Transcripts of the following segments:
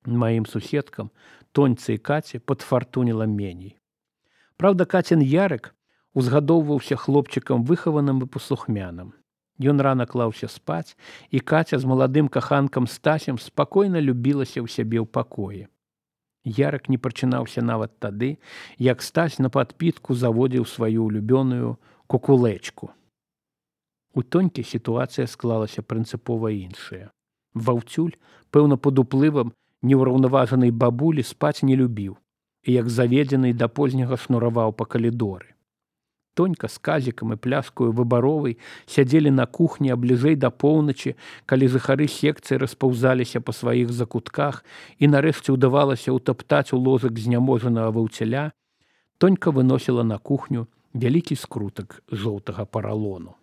Маім суседкам, Тоньцы і Каці, падфартуніла меней. Праўда, Кацін Ярык узгадоўваўся хлопчыкам выхаваным і паслухмяным. Ён рана клаўся спаць, і Каця з маладым каханкам Стасем спакойна любілася ў сябе ў пакоі. Ярык не прачынаўся нават тады, як Стась на падпітку заводзіў сваю улюбёную кукулэчку. У Тонькі сітуацыя склалася прынцыпова іншая. Ваўцюль, пэўна пад уплывам неўраўнаважанай бабулі, спаць не любіў і, як заведзены, да позняга шнураваў па калідоры. Тонька з Казікам і пляшкаю выбаровай сядзелі на кухні, а бліжэй да поўначы, калі жыхары секцыі распаўзаліся па сваіх закутках і нарэшце ўдавалася ўтаптаць у ложак зняможанага ваўцяля, Тонька выносіла на кухню вялікі скрутак жоўтага паралону.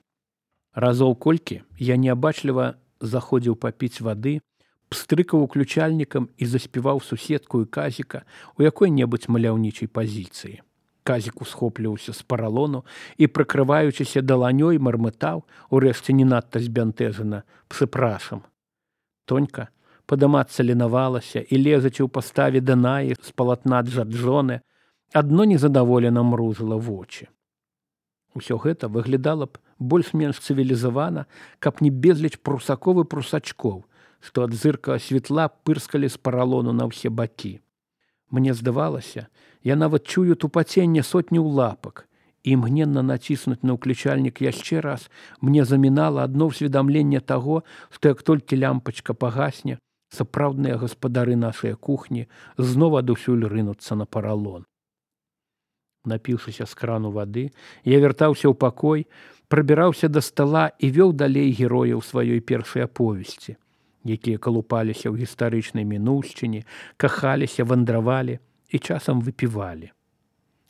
Разоў колькі я неабачліва заходзіў папіць вады, пстрыкаў уключальнікам і заспяваў суседку і Казіка у якой-небудзь маляўнічай пазіцыі. Казік усхопліваўся з паралону і, прыкрываючыся даланёй, мармытаў, урэшце не надта збянтэжана, «Псыпрашам». Тонька падымацца ленавалася і, лезачы ў паставе Данаі з палатна Джаджоне, адно незадаволена мружыла вочы. Усё гэта выглядала б больш-менш цывілізавана, каб не безліч прусакоў і прусачкоў, што ад зыркага святла пырскалі з паралону на ўсе бакі. Мне здавалася, я нават чую тупаценне сотняў лапак, і імгненна націснуць на ўключальнік яшчэ раз мне замінала адно ўсведамленне таго, што як толькі лямпачка пагасне, сапраўдныя гаспадары нашай кухні зноў адусюль рынуцца на паралон. Напіўшыся з крану вады, я вяртаўся ў пакой, прабіраўся да стала і вёў далей герояў сваёй першай аповесці, якія калупаліся ў гістарычнай мінуўшчыне, кахаліся, вандравалі і часам выпівалі.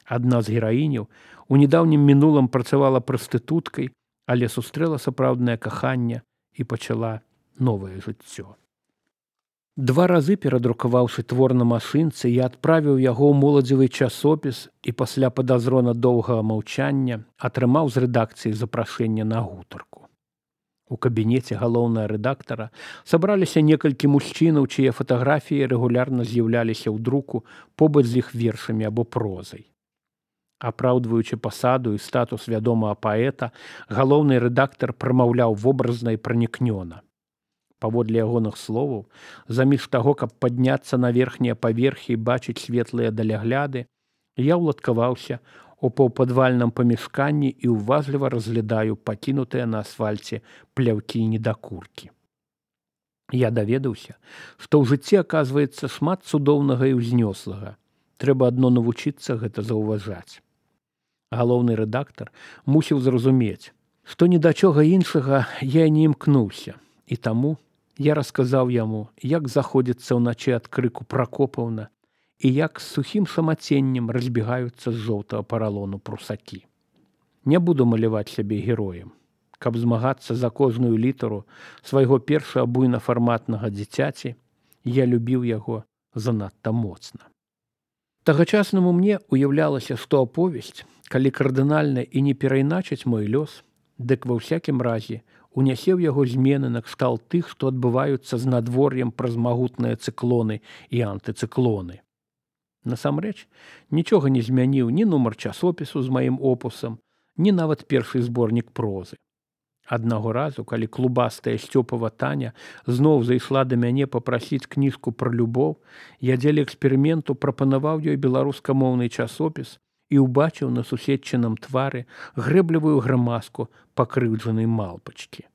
Адна з гераіняў у недаўнім мінулым працавала прастытуткай, але сустрэла сапраўднае каханне і пачала новае жыццё. 2 разы перадрукаваўшы твор на машынцы, я адправіў яго ў моладзевы часопіс і пасля падазрона доўгага маўчання атрымаў з рэдакцыі запрашэнне на гутарку. У кабінеце галоўнага рэдактара сабраліся некалькі мужчынаў, чые фатаграфіі рэгулярна з'яўляліся ў друку побач з іх вершамі або прозай. Апраўдваючы пасаду і статус вядомага паэта, галоўны рэдактар прамаўляў вобразна і пранікнёна. Паводле ягоных словаў, заміж таго, каб падняцца на верхнія паверхі і бачыць светлыя далягляды, я ўладкаваўся у паўпадвальным памяшканні і ўважліва разглядаю пакінутыя на асфальце пляўкі і недакуркі. Я даведаўся, што ў жыцці аказваецца шмат цудоўнага і ўзнёслага. Трэба адно навучыцца гэта заўважаць. Галоўны рэдактар мусіў зразумець, што ні да чога іншага я не імкнуўся, і таму я расказаў яму, як заходзіцца ўначы ад крыку Пракопаўна і як з сухім самаценнем разбегаюцца з жоўтага паралону прусакі. Не буду маляваць сябе героем. Каб змагацца за кожную літару свайго першага буйнафарматнага дзіцяці, я любіў яго занадта моцна. Тагачаснаму мне уяўлялася, што аповесць, калі кардынальна і не перайначыць мой лёс, дык ва ўсякім разе унясе ў яго змены накшталт тых, што адбываюцца з надвор'ем праз магутныя цыклоны і антыцыклоны. Насамрэч, нічога не змяніў ні нумар часопісу з маім опусам, ні нават першы зборнік прозы. Аднаго разу, калі клубастая Сцёпава Таня зноў зайшла да мяне папрасіць кніжку пра любоў, я дзеля эксперыменту прапанаваў ёй беларускамоўны часопіс і ўбачыў на суседчыным твары грэблівую грымаску пакрыўджанай малпачкі.